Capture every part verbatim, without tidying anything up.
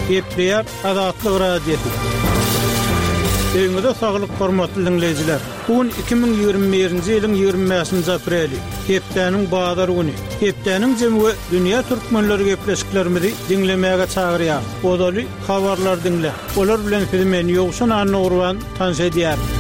Gepleýär Azatlyk Radiosy. Öýüňize saglyk hormatly diňleýjiler. Bu gün iki müň ýigrimi birinji ýylyň ýigrimi bäşinji apreli, hepdäniň bazar güni. Hepdäniň jemi we dünýä türkmenleri gepleşiklerimizi diňlemäge çagyrýar. Ozaly habarlar diňle. Olar bilen sizi men Ýowşan Annagurban tanyş edýärin.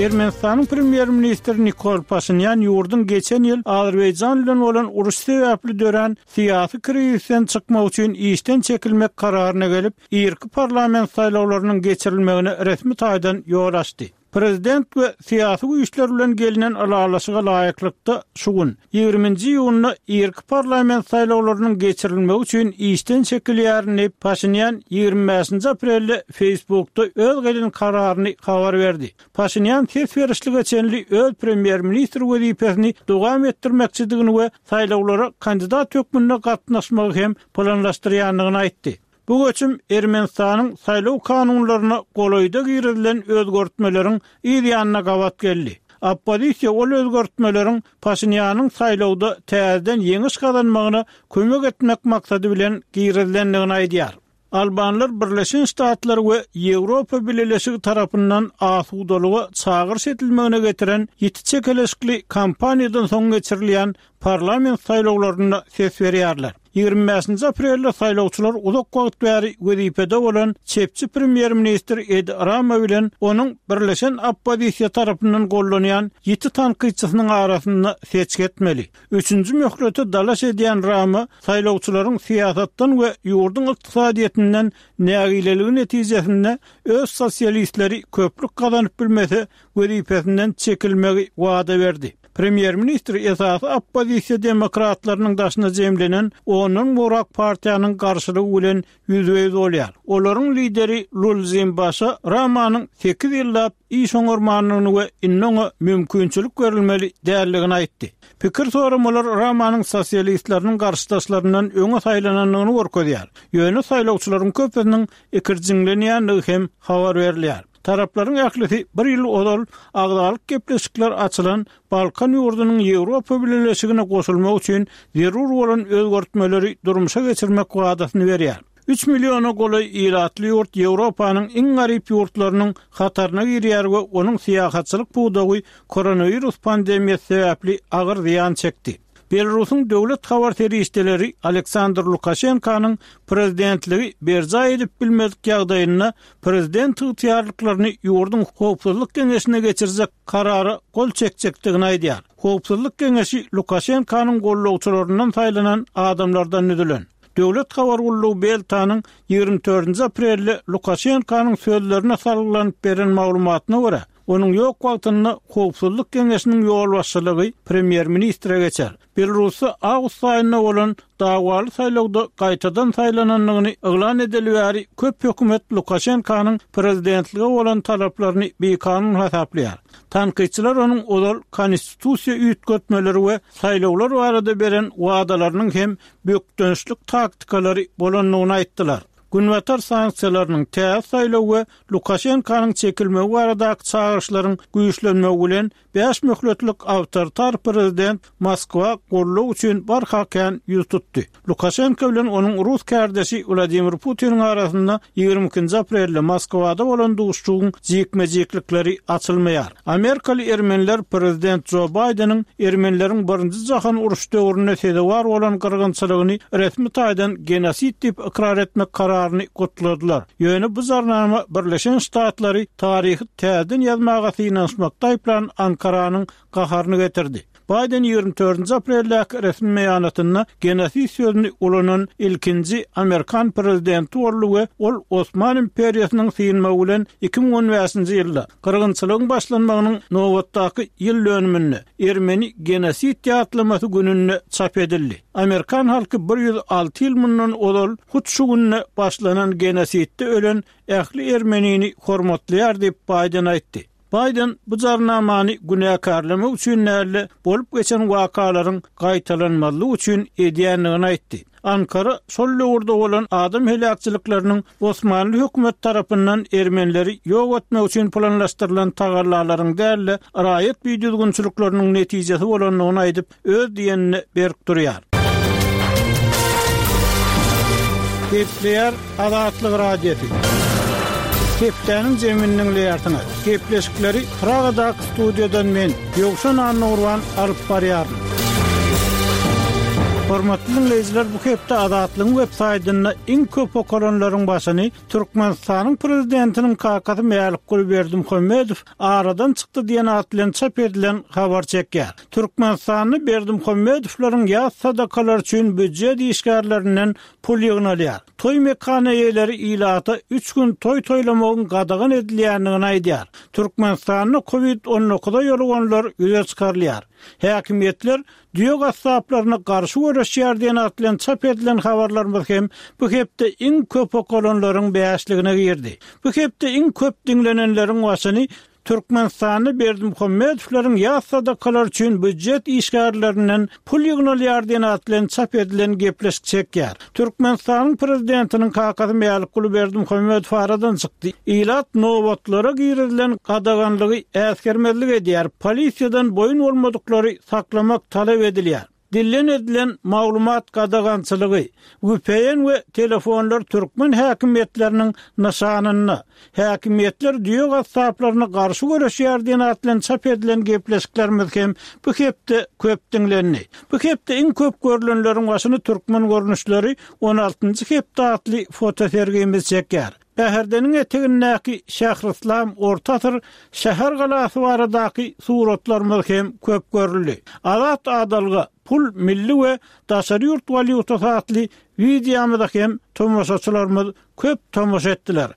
Ermenistanyň premýer-ministri Nikol Paşinýan ýurduň geçen ýyl Azerbaýjan bilen bolan uruş sebäpli dörän syýasy krizisden çykmak üçin işden çekilmek kararyna gelip, irki parlament saýlawlarynyň geçirilmegine resmi taýdan ýol açdy. Prezident we syýasy güýçler bilen gelnen ylalaşyga laýyklykda, şu gün, ýigriminji iýunda irki parlament saýlawlarynyň geçirilmegi üçin işden çekilýärin diýip, Paşinýan ýigrimi bäşinji aprelde Facebookda öz gelen kararyny habar berdi. Paşinýan ses berişlige çenli öz premýer-ministr wezipesini dowam etdirmekçidigini we saýlawlara kandidat hökmünde gatnaşmagy hem planlaşdyrýandygyny aýtdy. Bu göçüm Ermenistanyň saýlaw kanunlaryna golaýda girizilen özgertmeleriň yz ýanyna gabat geldi. Oppozisiýa ol özgertmeleriň Paşinýanyň saýlawda täzeden ýeňiş gazanmagyna kömek etmek maksady bilen girizilendigini aýdýar. Albanlar Birleşen Ştatlar we Ýewropa Bileleşigi tarapyndan asudalyga çagyryş edilmegine getiren ýiti çekeleşikli kampaniýadan soň geçirilýän parlament saýlawlarynda ses berýärler. Ýigrimi bäşinji aprelde saýlawçylar uzak wagt bäri wezipede bolan çepçi premýer-ministr Edi Rama bilen onuň Birleşen oppozisiýa tarapyndan gollanýan ýiti tankytçysynyň arasynda seçgi etmeli. Üçünji möhlete dalaş edýän Rama saýlawçylaryň syýasatdan we ýurduň ykdysadyýetinden nägileligi netijesinde öz sosialistleri köplük gazanyp bilmese wezipesinden çekilmegi wada berdi. Premýer-ministr esasy oppozisiýa demokratlarynyň daşyna jemlenen ondan gowrak partiýanyň garşylygy bilen ýüzbe-ýüz bolýar. Olaryň lideri Lulzim Başa Ramanyň sekiz ýyllap iş oňarmandygyny we indi oňa mümkinçilik berilmeli däldigini aýtdy. Pikir soramalar Ramanyň sosialistleriniň garşydaşlaryndan öňe saýlanandygyny görkezýär. Ýöne saýlawçylaryň köpüsiniň ikirjiňlenýändigi hem habar berilýär. Taraplaryň ählisi bir ýyl ozal agzalyk gepleşikler açylan Balkan ýurdunyň Ýewropa Bileleşigine goşulmagy üçin zerur bolan özgertmeleri durmuşa geçirmek wadasyny berýär. Üç milliona golaý ilatly ýurt Ýewropanyň iň garyp ýurtlarynyň hataryna girýär we onuň syýahatçylyk pudagy koronawirus pandemiýasy sebäpli agyr zyýan çekdi. Belarusyň döwlet habar serişdeleri Aleksandr Lukaşenkanyň prezidentligi berjaý edip bilmedik ýagdaýynda prezident ygtyýarlyklaryny ýurduň Howpsuzlyk geňeşine geçirjek karara gol çekjekdigini aýdýar. Howpsuzlyk geňeşi Lukaşenkanyň gollagçylaryndan saýlanan adamlardan düzülen. Döwlet habar gullugy Beltanyň ýigrimi dördünji aprelde Lukaşenkanyň sözlerine salgylanyp beren maglumatyna görä, onuň ýok wagtynda Howpsuzlyk geňeşiniň ýolbaşçylygy premýer-ministre geçer. Belarusda awgust aýynda bolan dawaly saýlawda gaýtadan saýlanandygyny yglan edeli bäri köp hökümet Lukaşenkanyň prezidentlige bolan talaplaryny bikanun hasaplaýar. Tankytçylar onuň ozal konstitusiýa üýtgetmeleri we saýlawlar barada beren wadalarynyň hem bökdençlik taktikalary bolandygyny aýtdylar. Günbatar sanksiýalarynyň täze saýlaw we Lukaşenkanyň çekilmegi baradaky çagyryşlaryň güýçlenmegi bilen bäş möhletlik awtoritar prezident Moskwa goldaw üçin barha kän ýüz tutdy. Lukaşenko bilen onuň rus kärdeşi Wladimir Putiniň arasynda ýigrimi ikinji aprelde Moskwada bolan duşuşygyň jikme-jiklikleri açylmaýar. Amerikaly ermeniler prezident Jo Baýdeniň ermenileriň Birinji jahan urşy döwründe sezewar bolan gyrgynçylygyny resmi taýdan genosid diýip ykrar etmek kararyny gutladylar. Ýöne bu jarnama Birleşen Ştatlary taryhy täzeden ýazmaga synanyşmakda aýyplan Ankaranyň gaharyny getirdi. Baýden ýigrimi dördünji apreldäki resmi beýanatynda genosid sözüni ulanan ilkinji amerikan prezidenti boldy we ol Osman imperiýasynyň synmagy bilen iki müň on bäşinji ýylda gyrgynçylygyň başlanmagynyň nobatdaky ýyl dönüminde ermeni genosid ýatlamasy gününde çap edildi. Amerikan halky bir ýüz alty ýyl mundan ozal hut şu günde başlanan genosidde ölen ähli ermenini hormatlaýar diýip Baýden aýtdy. Baýden bu jarnamany günäkärlemek üçin däl-de, bolup geçen wakalaryň gaýtalanmazlygy üçin edýändigini aýtdy. Ankara şol döwürde bolan adam heläkçilikleriniň Osmanly hökümet tarapyndan ermenileri ýok etmek üçin planlaşdyrylan tagallalaryň däl-de, raýat bidüzgünçilikleriniň netijesi bolandygyny aýdyp, öz diýenine berk durýar. Gepleýär Azatlyk Radiosy. Hepdäniň jemini diňleýärsiňiz. Gepleşikleri Pragadaky studiýadan men, Ýowşan Annagurban alyp barýaryn. Hormatly diňleýjiler, bu hepde Azatlygyň web saýtynda iň köp okalanlaryň başyny Türkmenistanyň prezidentiniň kakasy Mälikguly Berdimuhamedow aradan çykdy diýen at bilen çap edilen habar çekýär. Türkmenistanda Berdimuhamedowlaryň ýas sadakalary üçin býujet işgärlerinden pul ýygnalýar. Toý mekan eýeleri ilata üç gün toý toýlamagyň gadagan edilýändigini aýdýar. Türkmenistanda Covid on dokuza ýoluganlar ýüze çykarylýar. Häkimiýetler düýe gassaplaryna garşy göreşýär diýen at bilen çap edilen habarlarymyz hem bu hepde iň köp okalanlaryň bäşligine girdi. Bu hepde iň köp diňlenenleriň başyny Türkmenistanda Berdimuhamedowlaryň ýas sadakalary üçin býujet işgärlerinden pul ýygnalýar diýen at bilen çap edilen gepleşik çekýär. Türkmenistanyň prezidentiniň kakasy Mälikguly Berdimuhamedow aradan çykdy. Ilat nobatlara girizilen gadaganlygy äsgermezlik edýär. Polisiýadan boýun bolmadyklary saklamak talap edilýär. Dillen edilen maglumat gadagançylygy, V P N we telefonlar türkmen häkimiýetleriniň nyşanynda. Häkimiýetler düýe gassaplaryna garşy göreşýär diýen at bilen çap edilen gepleşiklerimiz hem bu hepde köp diňlendi. Bu hepde iň köp görülenleriň başyny türkmen görnüşleri on altynjy hepde atly fotosergimiz çekýär. Bäherdeniň etegindäki Şährislam Orta asyr şäher galasy baradaky suratlarymyz hem köp görüldi. Azat adalga, pul milli we daşary ýurt walýutasy atly wideomyza hem tomaşaçylarymyz köp tomaşa etdiler.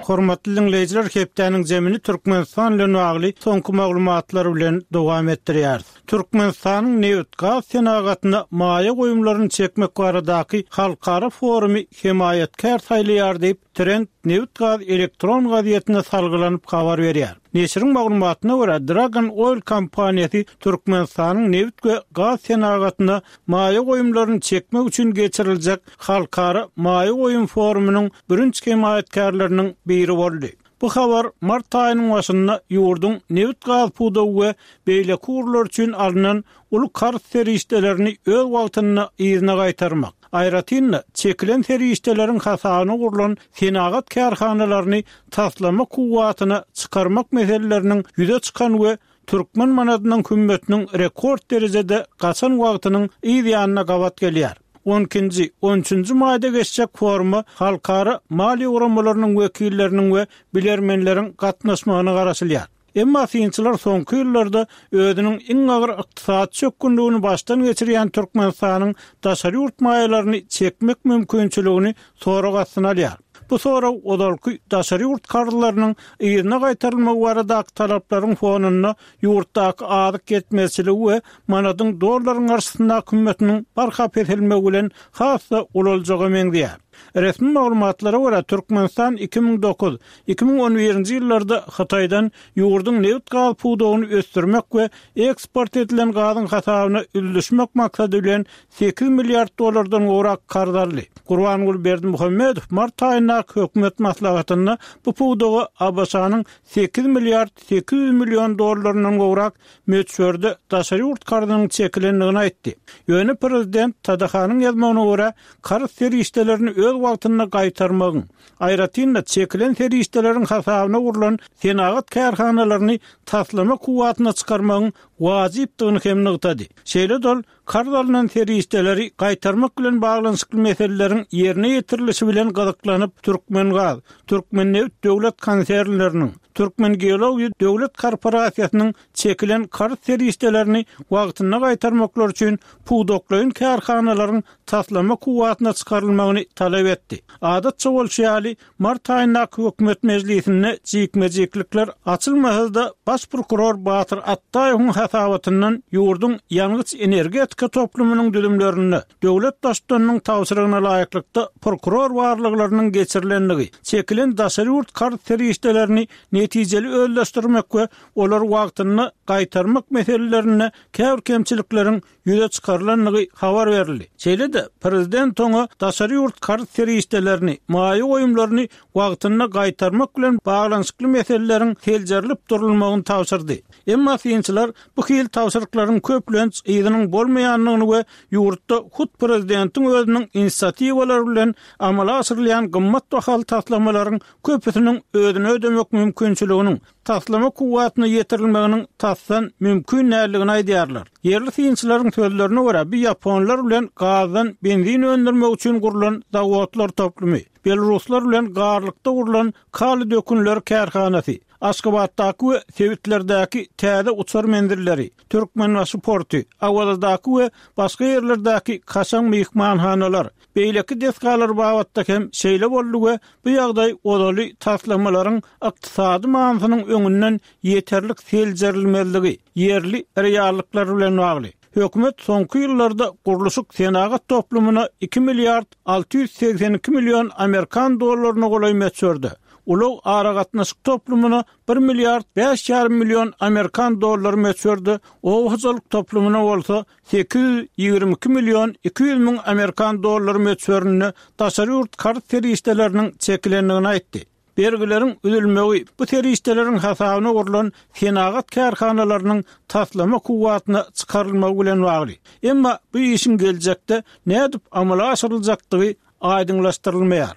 Hormatly diňleýjiler, hepdäniň zemini Türkmenistan bilen bagly soňky maglumatlar bilen dowam etdirýäris. Türkmenistanyň nebit-gaz senagatyna maýa goýumlaryny çekmek baradaky halkara forumy hemaýatkär saýlaýar diýip, Trend nebit-gaz elektron gazetine salgylanyp habar berýär. Neşiriň maglumatyna görä, Dragon Oil kompaniýasy Türkmenistanyň nebit we gaz senagatyna maýa goýumlaryny çekmek üçin geçiriljek halkara maýa goýum forumynyň birinji hemaýatkärleriniň biri boldy. Bu habar mart aýynyň başynda ýurduň nebit-gaz pudagy we beýleki ugurlar üçin alnan uly karz serişdelerini öz wagtynda yzyna gaýtarmak, aýratyn-da çekilen serişdeleriň hasabyna gurlan senagat kärhanalaryny taslama kuwwatyna çykarmak meseleleriniň ýüze çykan we türkmen manadynyň hümmetiniň rekord derejede gaçan wagtynyň yz ýanyna gabat gelýär. on ikinji, on üçünji maýda geçjek foruma halkara maliýe guramalarynyň wekilleriniň we bilermenleriň gatnaşmagyna garaşylýar. Emma synçylar soňky ýyllarda özüniň iň agyr ykdysady çökgünligini başdan geçirýän Türkmenistanyň daşary ýurt maýalaryny çekmek mümkinçiligini sorag astyna alýar. Bu sorag ozalky daşary ýurt karzlarynyň yzyna gaýtarylmagy baradaky talaplaryň fonunda ýurtdaky azyk ýetmezçiligi we manadyň dollaryň garşysyndaky hümmetiniň barha peselmegi bilen has-da ulaljaga meňzeýär. Resmi maglumatlara görä Türkmenistan iki müň dokuz, iki müň on birinji ýyllarda Hytaýdan ýurduň nebit-gaz pudagyny ösdürmek we eksport edilen gazyň hasabyna üllüşmek maksady bilen sekiz milliard dollardan gowrak karz aldy. Gurbanguly Berdimuhamedow mart aýyndaky hökümet maslahatynda bu pudaga A B Ş-nyň sekiz milliard sekiz ýüz million dollaryndan gowrak möçberde daşary ýurt karzynyň çekilendigini aýtdy. Ýöne prezident T D H-nyň ýazmagyna görä karz serişdelerini öz wagtynda gaýtarmagyň, aýratyn-da çekilen serişdeleriň hasabyna gurlan senagat kärhanalaryny taslama kuwwatyna çykarmagyň wajypdygyny hem nygtady. Şeýle-de ol karz alynan serişdeleri gaýtarmak bilen baglanyşykly meseleleriň ýerine ýetirilişi bilen gyzyklanyp Türkmengaz, Türkmennebit döwlet konsernleriniň, Türkmengeologiýa döwlet korporasiýasynyň çekilen karz serişdelerini wagtynda gaýtarmaklar üçin pudaklaýyn kärhanalaryň taslama kuwwatyna çykarylmagyny talap etdi. Adatça bolşy ýaly, mart aýyndaky hökümet mejlisinde jikme-jiklikler açylmasa-da baş prokuror Batyr Atdaýewiň hasabatyndan ýurduň ýangyç energetika toplumynyň düzümlerinde döwlet baştutanynyň tabşyrygyna laýyklykda prokuror barlaglarynyň geçirilendigi, çekilen daşary ýurt karz serişdelerini netijeli özleşdirmek we olary wagtynda gaýtarmak meselelerinde käbir kemçilikleriň ýüze çykarylandygy habar berildi. Şeýle-de, prezident oňa daşary ýurt karz serişdelerini, maýa goýumlaryny wagtynda gaýtarmak bilen baglanyşykly meseleleriň seljerilip durulmagyny tabşyrdy. Emma synçylar bu hili tabşyryklaryň köplenç yzynyň bolmaýandygyny we ýurtda hut prezidentiň özüniň inisiatiwalary bilen amala aşyrylýan gymmat bahaly taslamalaryň köpüsiniň özüni ödemek mümkinçiliginiň, taslama kuwwatyna ýetirilmeginiň tasdan mümkin däldigini aýdýarlar. Ýerli synçylaryň sözlerine görä, bu ýaponlar bilen gazdan benzin öndürmek üçin gurlan zawodlar toplumy, belaruslar bilen Garlykda gurlan kaliý dökünleri kärhanasy, Aşgabatdaky we sebitlerdäki täze uçar menzilleri, Türkmenbaşy porty, Awazadaky we başga ýerlerdäki kaşaň myhmanhanalar, beýleki desgalar babatda hem şeýle boldy we bu ýagdaý ozaly taslamalaryň ykdysady manysynyň öňünden ýeterlik seljerilmezligi, ýerli reallyklar bilen bagly. Hökümet soňky ýyllarda gurluşyk-senagat toplumyna iki milliard alty ýüz segsen iki million amerikan dollaryna golaý möçberde, ulag-aragatnaşyk toplumyna bir milliard bäş ýarym million amerikan dollary möçberde, oba hojalyk toplumyna bolsa sekiz ýüz ýigrimi iki million iki ýüz müň amerikan dollary möçberinde daşary ýurt karz serişdeleriniň çekilendigini aýtdy. Bergileriň üzülmegi bu serişdeleriň hasabyna gurlan senagat kärhanalarynyň taslama kuwwatyna çykarylmagy bilen bagly. Emma bu işiň geljekde nädip amala aşyryljakdygy aýdyňlaşdyrylmaýar.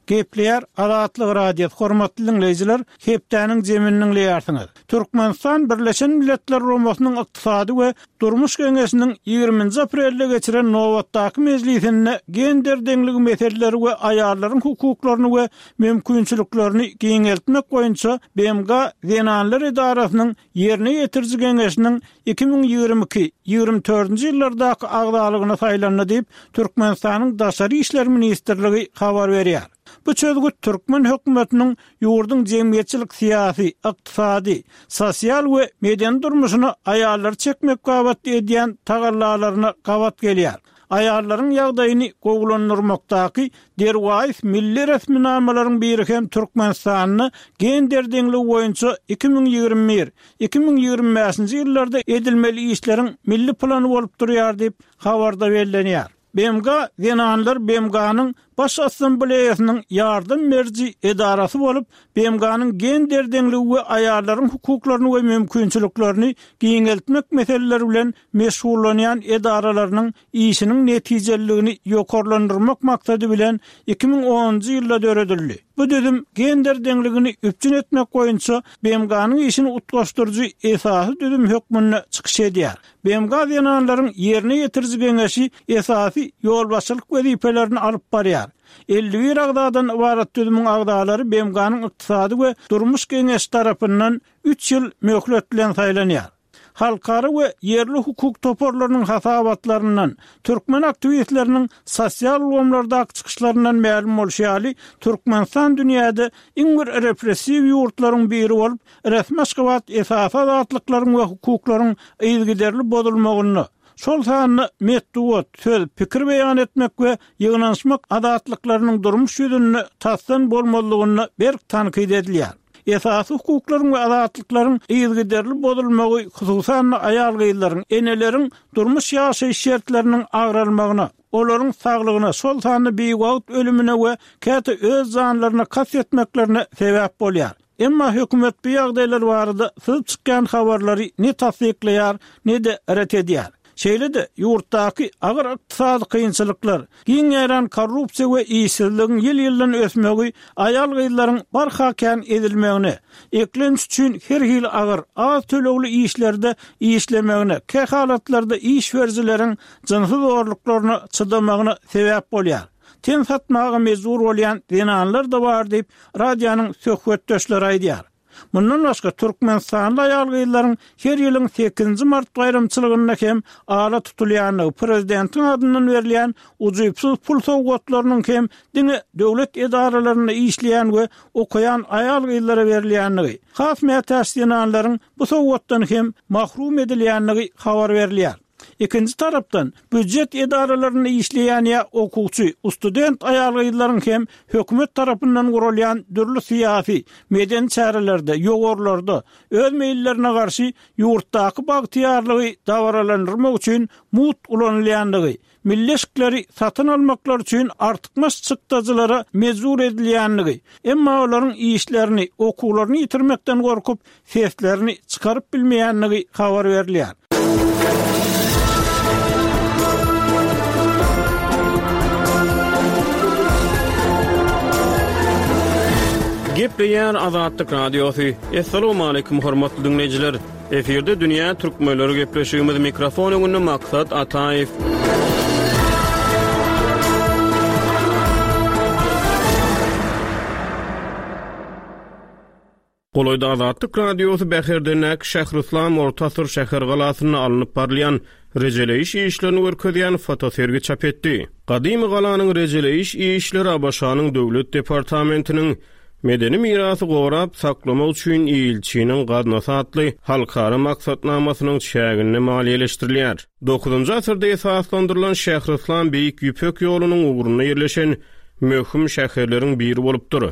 Gepleýär Azatlyk Radiosy, hormatly diňleýjiler, hepdäniň jemini diňleýärsiňiz. Türkmenistan Birleşen Milletler Guramasynyň Ykdysady we Durmuş Geňeşiniň ýigriminji aprelde geçiren nobatdaky mejlisinde gender deňligi meseleleri we aýallaryň hukuklaryny we mümkinçiliklerini giňeltmek boýunça B M G Zenanlar edarasynyň Ýerine ýetiriji geňeşiniň iki müň ýigrimi iki, ýigrimi dördünji ýyllardaky agzalygyna saýlandy diýip, Türkmenistanyň Daşary işler ministrligi habar berýär. Bu çözgüt türkmen hökümetiniň ýurduň jemgyýetçilik-syýasy, ykdysady, sosial we medeni durmuşyna aýallary çekmek babatda edýän tagallalaryna gabat gelýär. Aýallaryň ýagdaýyny gowulandyrmakdaky derwaýys milli resminamalaryň biri hem Türkmenistanda gender deňligi boýunça iki müň ýigrimi bir, iki müň ýigrimi bäşinji ýyllarda edilmeli işleriň milli plany bolup durýar diýip, habarda bellenýär. B M G Zenanlar B M G-nyň Baş Assambleýasynyň ýardam beriji edarasy bolup, B M G-nyň gender deňligi we aýallaryň hukuklaryny we mümkinçiliklerini giňeltmek meseleleri bilen meşgullanýan edaralarynyň işiniň netijeliligini ýokarlandyrmak maksady bilen iki müň onunjy ýylda döredildi. Bu düzüm gender deňligini üpjün etmek boýunça B M G-nyň işini utgaşdyryjy esasy düzüm hökmünde çykyş edýär. B M G Zenanlaryň Ýerine ýetiriji geňeşi esasy ýolbaşçylyk wezipelerini alyp barýar. Elli bir agzadan ybarat düzümiň agzalary B M G-nyň Ykdysady we Durmuş geňeşi tarapyndan üç ýyl möhlet bilen saýlanýar. Halkara we ýerli hukuk toparlarynyň hasabatlaryndan, türkmen aktiwistleriniň sosial ulgamlardaky çykyşlaryndan mälim bolşy ýaly, Türkmenistan dünýäde iň bir repressiw ýurtlaryň biri bolup, resmi Aşgabat esasy azatlyklaryň we hukuklaryň yzygiderli bozulmagynda, şol sanda metbugat, söz, pikir beýan etmek we ýygnanyşmak azatlyklarynyň durmuş ýüzünde tasdan bolmazlygynda berk tankyt edilýär. Esasy hukuklaryň we azatlyklaryň yzygiderli bozulmagy, hususan-da aýal-gyzlaryň, eneleriň durmuş ýaşaýyş şertleriniň agralmagyna, olaryň saglygyna, şol sanda biwagt ölümine we käte öz janlaryna kast etmeklerine sebäp bolýar. Emma hökümet bu ýagdaýlar barada syzyp çykýan habarlary ne tassyklaýar, ne-de ret edýär. Şeýle-de, ýurtdaky agyr ykdysady kynçylyklar, giň ýaýran korrupsiýa we işsizligiň ýyl-ýyldan ösmegi aýal-gyzlaryň barha kän ezilmegine, eklenç üçin her hili agyr, az tölegli işlerde işlemegine, kähalatlarda iş berijileriň jynsy zorluklaryna çydamagyna sebäp bolýar. Ten satmaga mejbur bolýan zenanlar-da bar diýip, radionyň söhbetdeşleri aýdýar. Mundan başga, türkmenistanly aýal-gyzlaryň her ýylyň sekizinji mart baýramçylygynda hem ala tutulýandygy, prezidentiň adyndan berilýän ujypsyz pul sowgatlarynyň hem diňe döwlet edaralarynda işleýän we okaýan aýal-gyzlara berilýändigi, has mätäç zenanlaryň bu sowgatdan hem mahrum edilýändigi habar berilýär. Ikinji tarapdan, býujet edaralarynda işleýän ýa okuwçy, student aýal-gyzlaryň hem hökümet tarapyndan guralýan dürli syýasy, medeni çärelerde, ýowarlarda öz meýillerine garşy ýurtdaky bagtyýarlygy dabaralandyrmak üçin mugt ulanylýandygy, milli eşikleri satyn almaklary üçin artykmaç çykdajylara mejbur edilýändigi, emma olaryň işlerini, okuwlaryny ýitirmekden gorkup, seslerini çykaryp bilmeýändigi habar berilýär. Gepleýär Azatlyk Radiosy. Assalamualaikum hormatly diňleýjiler. Efirde dünýä türkmenleri gepleşigimiz mikrofon öňünde Maksat Ataýew. Golaýda Azatlyk Radiosy Bäherdendäki Şähryslam orta asyr şäher galasynda alnyp barylýan rejeleýiş işlerini görkezýän fotosergi çap etdi. Gadymy galanyň rejeleýiş işleri ABŞ-nyň Döwlet departamentiniň Medeni mirasy gorap saklamak üçin ilçiniň gaznasy atly halkara maksatnamasynyň çäginde maliýeleşdirilýär. Dokuzynjy asyrda esaslandyrylan Şähryslam Beýik Ýüpek ýolunyň ugrunda ýerleşen möhüm şäherleriň biri bolupdyr.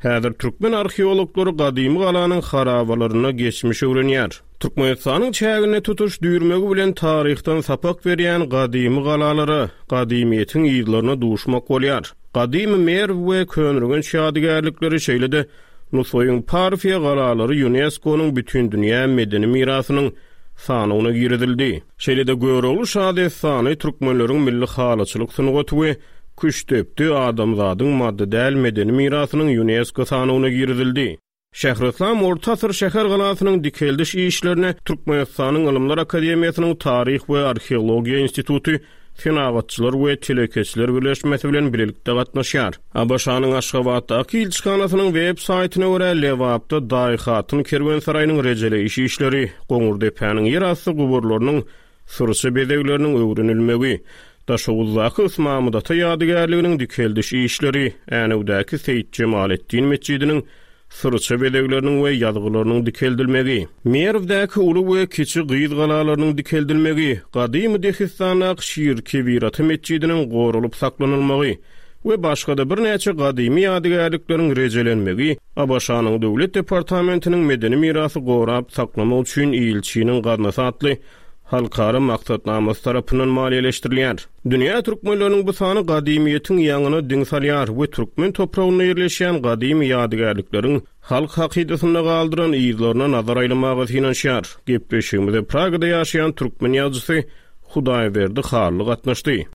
Häzir türkmen arheologlary gadymy galanyň harabalarynda geçmiş öwrenýär. Türkmenistanyň çäginde tutuş düýrmegi bilen taryhdan sapak berýän gadymy galalara, gadymyýetiň yzlaryna duşmak bolýar. Gadymy Merw we Köneürgenç ýadygärlikleri, şeýle-de Nusaýyň Parfiýa galalary UNESCO-nyň Bütindünýä medeni mirasynyň sanawyna girizildi. Şeýle-de Görogly şadessany, türkmenleriň milli halyçylyk sungaty we Küştdepdi adamzadyň maddy däl medeni mirasynyň UNESCO sanawyna girizildi. Şähryslam orta asyr şäher galasynyň dikeldiş işlerine Türkmenistanyň Ylymlar akademiýasynyň Taryh we arheologiýa instituty Senagatçylar we telekeçiler birleşmesi bilen bilelikde gatnaşýar. ABŞ-nyň Aşgabatdaky ilçihanasynyň web saýtyna görä, Lebapda Daýhatyn kerwensaraýynyň rejeleýiş işleri, Goňurdepäniň ýerasty guburlarynyň syrça bezegleriniň öwrenilmegi, Daşoguzdaky Ysmamyt ata ýadygärliginiň dikeldiş işleri, Änewdäki Seýit Jemaletdin metjidiniň syrça bezegleriniň we ýazgylarynyň dikeldilmegi, Merwdäki uly we kiçi gyz galalarynyň dikeldilmegi, gadymy Dehistandaky Şir Kebir ata metjidiniň goralyp saklanylmagy we başga-da birnäçe gadymy ýadygärlikleriň rejelenmegi ABŞ-nyň Döwlet departamentiniň medeni mirasy gorap saklamak üçin ilçiniň gaznasy atly halkara maksatnamasy tarapyndan maliýeleşdirilýär. Dünýä türkmenleriniň bu sany gadymyýetiň ýaňyna diň salýar we türkmen topragynda ýerleşýän gadymy ýadygärlikleriň halk hakydasynda galdyran yzlaryna nazar aýlamaga synanyşýar. Gepleşigimize Pragada ýaşaýan türkmen ýazyjysy Hudaýberdi Hally gatnaşdy.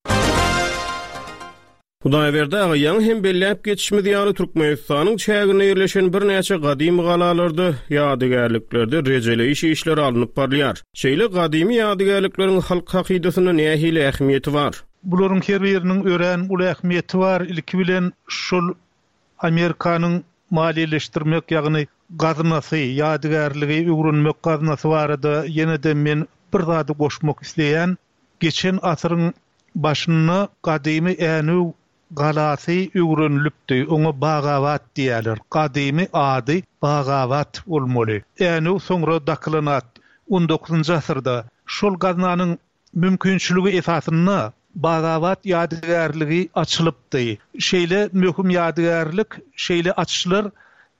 Hudaýberdi aga, ýaňy hem belläp geçişimiz ýaly, Türkmenistanyň çäginde ýerleşen birnäçe gadymy galalarda, ýadygärliklerde rejeleýiş işleri alnyp barylýar. Şeýle gadymy ýadygärlikleriň halk hakydasynda nähili ähmiýeti bar? Bularyň her biriniň örän uly ähmiýeti bar. Ilki bilen şol Amerikanyň maliýeleşdirmek, ýagny gaznasy, ýadygärligi öwrenmek gaznasy barada ýene-de men bir zady goşmak isleýän. Geçen asyryň başynda gadymy Änew galasy öwrenilipdi. Oňa Bagabat diýerler. Gadymy ady Bagabat bolmaly. Änew soňra dakylan at. On dokuzynjy asyrda şol gaznanyň mümkinçiligi esasynda Bagabat ýadygärligi açylypdy. Şeýle möhüm ýadygärlik, şeýle açyşlar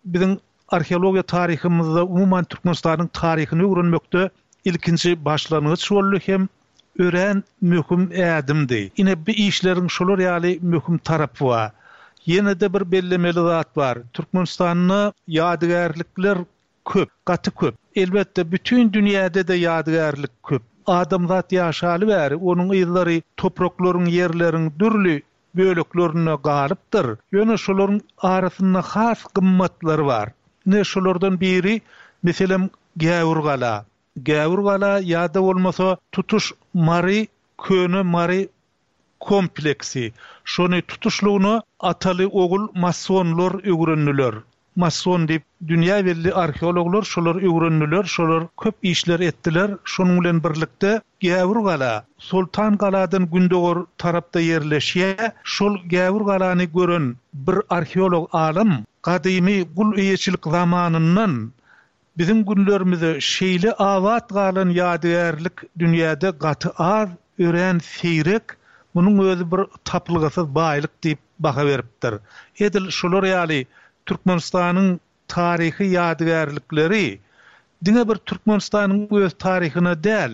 biziň arheologiýa taryhymyzda, umuman Türkmenistanyň taryhyny öwrenmekde ilkinji başlangyç boldy hem örän möhüm ädimdi. Ine bu işleriň şolar ýaly möhüm tarapy bar. Ýene-de bir bellemeli zat bar. Türkmenistanda ýadygärlikler köp, gaty köp. Elbetde bütün dünýäde-de ýadygärlik köp. Adamzat ýaşaly bäri onuň yzlary topraklaryň, ýerleriň dürli böleklerinde galypdyr. Ýöne şolaryň arasynda has gymmatlary bar. Ine şolardan biri, meselem, Gäwürgala. Gäwürgala ýa-da bolmasa tutuş Mary, Köne Mary kompleksi. Şony tutuşlygyna ataly ogul masonlar öwrendiler. Mason diýip dünýä belli arheologlar şolar öwrendiler, şolar köp işler etdiler. Şonuň bilen birlikde Gäwürgala Sultan Galadan gündogar tarapda ýerleşýär. Şol Gäwürgalany gören bir arheolog alym gadymy gul eýeçilik zamanyndan Biziň günlerimize şeýle abat galan ýadygärlik dünýäde gaty az, örän seýrek, munuň özi bir tapylgysyz baýlyk diýip baha beripdir. Edil şolar ýaly Türkmenistanyň taryhy ýadygärlikleri diňe bir Türkmenistanyň öz taryhyna däl,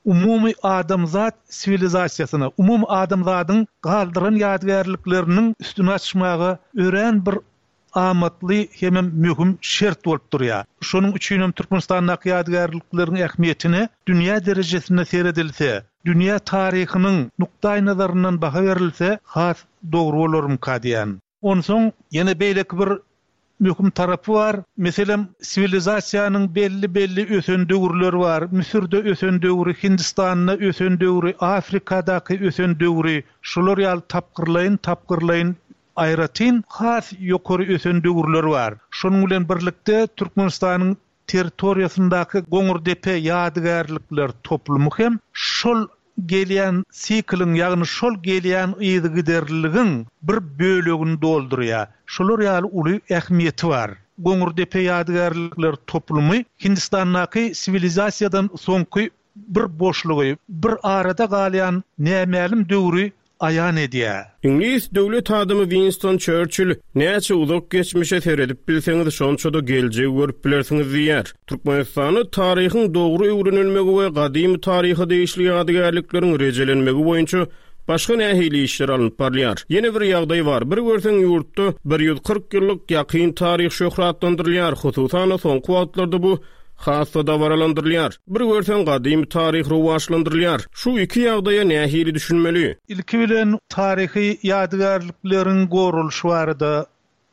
umumy adamzat siwilizasiýasyna, umumy adamzadyň galdyran ýadygärlikleriniň üstüni açmaga örän bir amatly hemem möhüm şert bolup durýar. Şonuň üçinem Türkmenistandaky ýadygärlikleriň ähmiýetine dünýä derejesinde seredilse, dünýä taryhynyň nukdaýnazaryndan baha berilse has dogry bolarmyka diýýän. Onsoň ýene beýleki bir möhüm tarapy bar. Meselem, siwilizasiýanyň belli-belli ösen döwürleri bar. Müsürde ösen döwri, Hindistanda ösen döwri, Afrikadaky ösen döwri, şular ýaly tapgyrlaýyn-tapgyrlaýyn aýratyn has ýokary ösen döwürler bar. Şonuň bilen birlikde Türkmenistanyň territoriýasyndaky Goňurdepe ýadygärlikler toplumy hem şol gelýän sikliň, ýagny şol gelýän yzygiderliligiň bir bölegini doldurýar. Şolar ýaly uly ähmiýeti bar. Goňurdepe ýadygärlikler toplumy Hindistandaky siwilizasiýadan soňky bir boşlugy, bir arada galýan nämälim döwri aýan edýär. Iňlis döwlet adamy Winston Çerçill näçe uzak geçmişe seredip bilseňiz, şonça-da geljegi görüp bilersiňiz diýýär. Türkmenistanda taryhyň dogry öwrenilmegi we gadymy taryha degişli ýadygärlikleriň rejelenmegi boýunça başga nähili işler alnyp barylýar? Ýene bir ýagdaý bar. Bir görseň ýurtda bir ýüz kyrk ýyllyk ýakyn taryh şöhratlandyrylýar. Hususan-da soňky wagtlarda bu has-da dabaralandyrylýar. Bir görseň gadymy taryh rowaçlandyrylýar. Şu iki ýagdaýa nähili düşünmeli? Ilki bilen taryhy ýadygärlikleriň goralyşy barada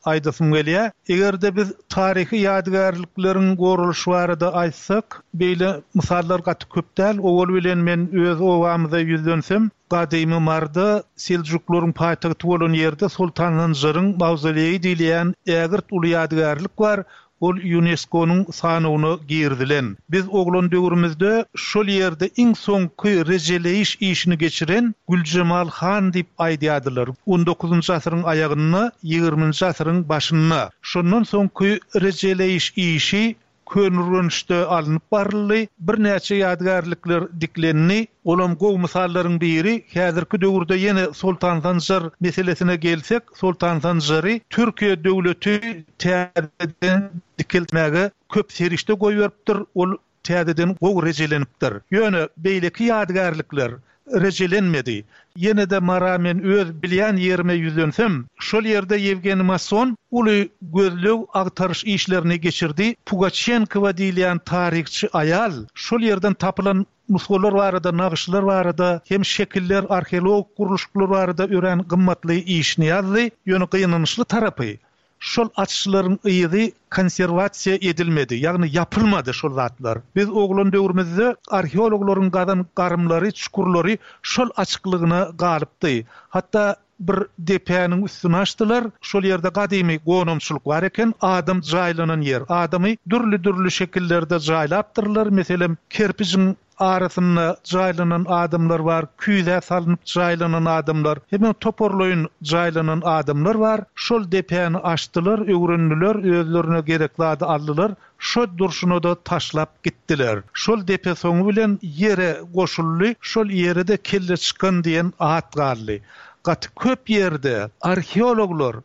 aýdasym gelýär. Eger-de biz taryhy ýadygärlikleriň goralyşy barada aýtsak, beýle mysallar gaty köp däl. Owal bilen men öz obamyza ýüzlensem, gadymy Marda Seljuklaryň paýtagty bolan ýerde Sultan Sanjaryň mawzoleýi diýilýän ägirt uly ýadygärlik bar. Ol UNESCO-nyň sanawyna girdilen. Biz oglan döwrümizde şol ýerde iň soňky rejeleýiş işini geçiren Güljemal han diýip aýdýardylar. on dokuzynjy asyryň aýagynda, ýigriminji asyryň başynda. Şondan soňky rejeleýiş işi Köneürgençde alnyp baryldy, birnäçe ýadygärlikler diklendi. Olam gowy mysallaryň biri, häzirki döwürde ýene Sultan Sanjar meselesine gelsek, Sultan Sanjary Türkiýe döwleti täzeden dikeltmäge köp serişde goýberipdir, ol täzeden gowy rejelenipdir. Ýöne beýleki ýadygärlikler rejelenmedi. Ýene de Mara men öz bilýän ýerime ýüzlensem, şol ýerde Ýewgeniý Mason uly gözleg agtaryş işlerini geçirdi. Pugaçenkowa diýilýän taryhçy aýal şol ýerden tapylan nusgalar barada, nagyşlar barada, hem şekiller, arheologik gurluşyklar barada örän gymmatly işini ýazdy. Ýöne gynançly tarapy, şol açyşlaryň yzy konserwasiýa edilmedi, ýagny ýapylmady şol zatlar. Biz oglan döwrümizde arheologlaryň gazan garymlary, çukurlary şol açyklygyna galypdy. Hatda bir depäniň üstüni açdylar, şol ýerde gadymy gonamçylyk bar eken, adam jaýlanan ýer. Adamy dürli-dürli şekillerde jaýlapdyrlar, meselem, kerpijiň arasynda jaýlanan adamlar bar, küýzä salynyp jaýlanan adamlar, hemen toparlaýyn jaýlanan adamlar bar. Şol depäni açdylar, öwrendiler, özlerine gerek zady aldylar, şo durşuna da taşlap gitdiler. Şol depe soňy bilen ýere goşuldy, şol ýere de kelle çykan diýen at galdy. Gaty köp ýerde arheologlar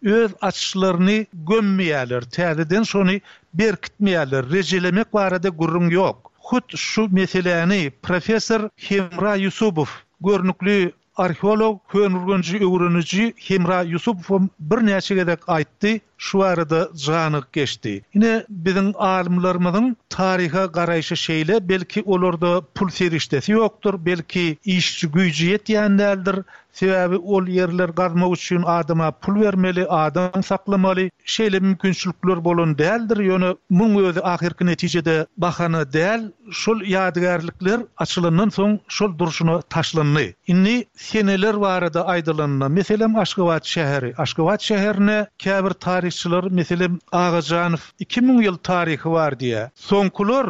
öz açyşlaryny gömmeýärler, täzeden şony berkitmeýärler, rejelemek barada gürrüň ýok. Hut şu meseläni professor Hemra Ýusubow, görnükli arheolog, Köneürgenji öwreniji Hemra Ýusubow birnäçe gezek aýtdy, şu barada janyk geçdi. Ine biziň alymlarymyzyň taryha garaýşy şeýle, belki olarda pul serişdesi ýokdur, belki işçi güýji ýetýän däldir. Sebäbi ol ýerler gazmak üçin adama pul bermeli, adam saklamaly. Şeýle mümkinçilikler bolan däldir. Ýöne muň özi ahyrky netijede bahana däl. Şol ýadygärlikler açylandan soň şol durşuna taşlandy. Indi seneler barada aýdylanda, meselem Aşgabat şäheri. Aşgabat şäherine käbir taryhçylar, meselem Agajanow iki müň ýyl taryhy bar diýär. Soňkular,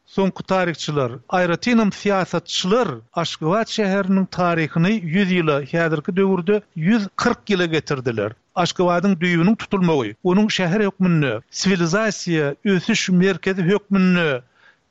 soňky taryhçylar, aýratynam syýasatçylar Aşgabat şäheriniň taryhyny ýüz ýyla, häzirki döwürde ýüz kyrk ýyla getirdiler. Aşgabadyň düýbüniň tutulmagy, onuň şäher hökmünde, siwilizasiýa ösüş merkezi hökmünde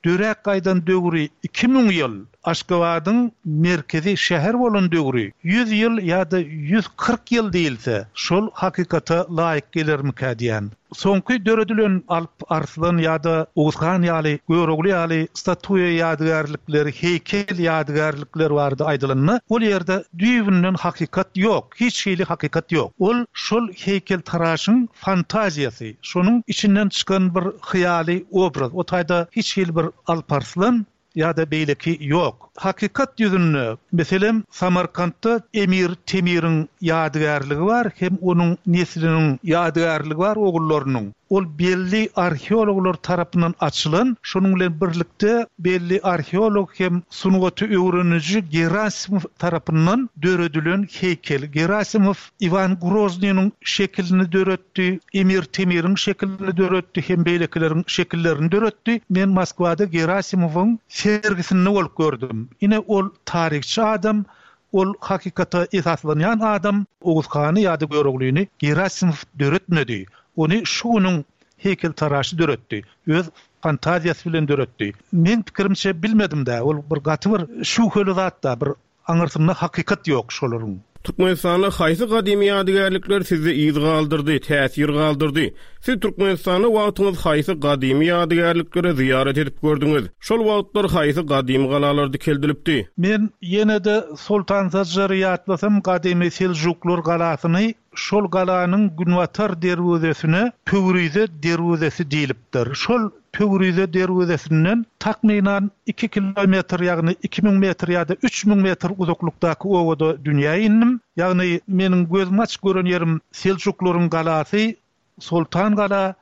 döräp gaýdan döwri iki müň ýyl, Aşgabadyň merkezi şäher bolan döwri ýüz ýyl ýa-da ýüz kyrk ýyl diýilse, şol hakykata laýyk gelermikä diýýän. Soňky döredilen Alp Arslan ýa-da Oguz han ýaly, Görogly ýaly statuýa ýadygärlikleri, heýkel ýadygärlikleri barada aýdylanda, ol ýerde düýbünden hakykat ýok, hiç hili hakykat ýok. Ol şol heýkeltaraşyň fantaziýasy, şonuň içinden çykan bir hyýaly obraz. O taýda hiç hili bir Alp Arslan ýa-da beýleki ýok. Hakykat ýüzünde, meselem, Samarkantda Emir Temiriň ýadygärligi bar hem onuň nesliniň ýadygärligi bar, ogullarynyň. Ol belli arheologlar tarapyndan açylan, şonuň bilen birlikde belli arheolog hem sungaty öwreniji Gerasimow tarapyndan döredilen heýkel. Gerasimow Iwan Groznynyň şekilini döretdi, Emir Temiriň şekilini döretdi hem beýlekileriň şekillerini döretdi. Men Moskwada Gerasimowyň sergisinde bolup gördüm. Ine ol taryhçy adam, ol hakykata esaslanýan adam. Oguz hany ýa-da Göroglyny Gerasimow döretmedi. Ony şu günüň heýkeltaraşy döretdi. Öz fantaziýasy bilen döretdi. Meň pikirimçe bilmedim-dä, ol bir gaty bir şübheli zat-da, bir aňyrsynda hakykat ýok şolaryň. Türkmenistanda haýsy gadymy ýadygärlikler sizde yz galdyrdy, täsir galdyrdy? Siz Türkmenistanda wagtyňyz haýsy gadymy ýadygärliklere zyýarat edip gördüňiz? Şol wagtlar haýsy gadymy galalar dikeldilipdi? Men ýene-de Soltan Sanjary ýatlasam, gadymy Seljuklar galasyny, şol galanyň günbatar derwezesine Pöwrize derwezesi diýlipdir. Şol Pöwrize derwezesinden takmynan iki kilometr, ýagny iki müň metr ýa-da üç müň metr uzaklykdaky obada dünýä indim. Ýagny meniň gözüm açyk gören ýerim Seljuklaryň galasy, Soltan gala,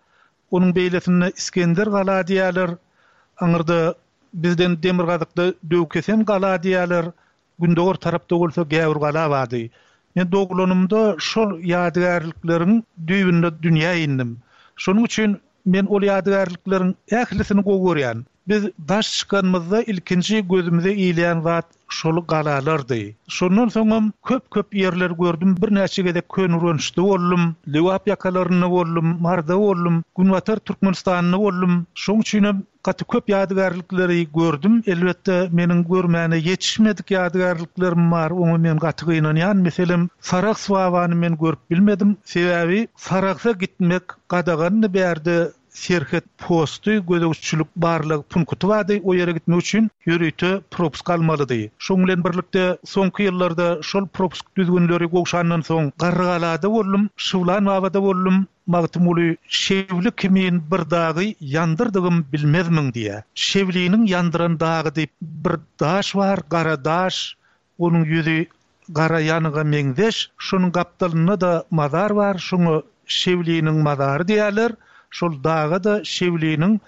onuň beýlesinde Iskender gala diýýärler. Aňyrda bizden demirgazykda Döwkesen gala diýýärler. Gündogar tarapda bolsa Gäwür gala bardy. Men doglanymda şol ýadygärlikleriň düýbünde dünýä indim. Şonuň üçin men ol ýadygärlikleriň ählisini gowy görýän. Biz daş çykanymyzda ilkinji gözümize ilýän zat şol galalardy. Şondan soňam köp-köp ýerler gördüm. Birnäçe gezek Köneürgençde boldum, Lebap ýakalarynda boldum, Marda boldum, Günbatar Türkmenistanda boldum. Şonuň üçinem gaty köp ýadygärlikleri gördüm. Elbetde meniň görmäne ýetişmedik ýadygärliklerim bar. Oňa men gaty gynanýan. Meselem, Sarahs babany men görüp bilmedim. Sebäbi Sarahsa gitmek gadagandy bärde serhet posty, gözegçilik barlag punkty bardy. O ýere gitmek üçin ýörite propusk almalydy. Şonuň bilen birlikde soňky ýyllarda şol propusk düzgünleri gowşandan soň Garrygalada boldum, Şywlan babada boldum. Magtymguly Şewli kimin bir dagy ýandyrdygym bilmezmiň diýä. Şewliniň ýandyran dagy diýip bir daş bar, gara daş, onuň ýüzi gara ýanyga meňzeş, şonuň gapdalynda-da mazar bar, şoňa Şewliniň mazary diýerler. Şol daga-da Şewliniň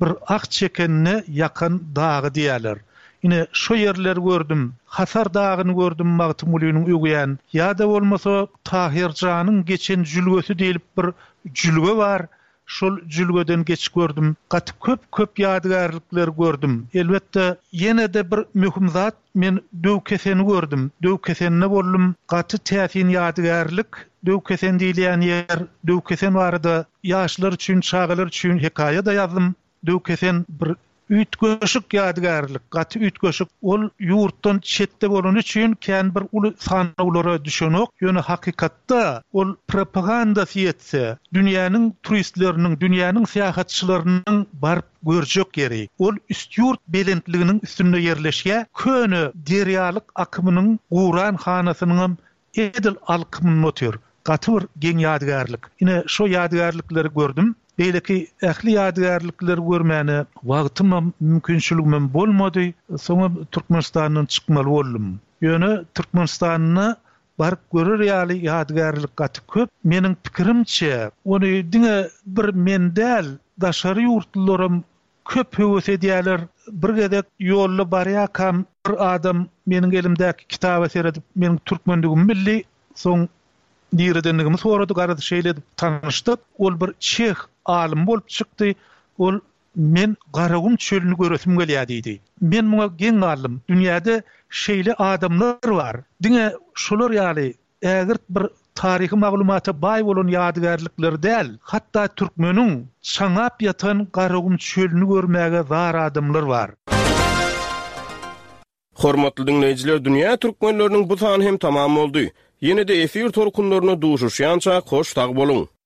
bir ah çekenine ýakan dagy diýerler. Ine şo ýerleri gördüm. Hasar dagyny gördüm Magtymgulynyň öwýän. Ýa-da bolmasa Tahyrjanyň geçen jülgesi diýlip bir jülge bar. Şol jülgeden geçip gördüm. Gaty köp-köp ýadygärlikleri gördüm. Elbetde ýene-de bir möhüm zat, men Döwkeseni gördüm. Döwkesende boldum. Gaty täsin ýadygärlik. Döwkesen diýilýän ýer, Döwkesen barada ýaşlar üçin, çagalar üçin hekaýa-da ýazdym. Döwkesen bir üýtgeşik ýadygärlik, gaty üýtgeşik. Ol ýurtdan çetde bolany üçin kän bir uly sanawlara düşenok. Ýöne hakykatda ol propagandasy ýetse, dünýäniň turistleriniň, dünýäniň syýahatçylarynyň baryp görjek ýeri. Ol Üstýurt belentliginiň üstünde ýerleşýär. Köne derýalyk akymynyň guran hanasynyňam edil alkymynda otyr. Gaty bir geň ýadygärlik. Ine şo ýadygärlikleri gördüm. Beýleki ähli ýadygärlikleri görmäne wagtymam, mümkinçiligimem bolmady. Soňam Türkmenistandan çykmaly boldum. Ýöne Türkmenistanda baryp görer ýaly ýadygärlik gaty köp. Meniň pikirimçe, ony diňe bir men däl, daşary ýurtlularam köp höwes edýärler. Bir gezek ýolda barýarkam bir adam meniň elimdäki kitaba seredip, meniň türkmendigimi bildi. Soň niredendigimi sorady, garaz şeýle edip tanyşdyk. Ol bir çeh alymy bolup çykdy. Ol men Garagum çölüni göresim gelýär diýdi. Men muňa geň galdym. Dünýäde şeýle adamlar bar. Diňe şolar ýaly ägirt bir taryhy maglumata baý bolan ýadygärlikleri däl, hatda türkmeniň çaňap ýatan Garagum çölüni görmäge zar adamlar bar. Hormatly diňleýjiler, dünýä türkmenleriniň bu sany hem tamam boldy. Ýene-de efir tolkunlarynda duşuşýança hoş sag boluň!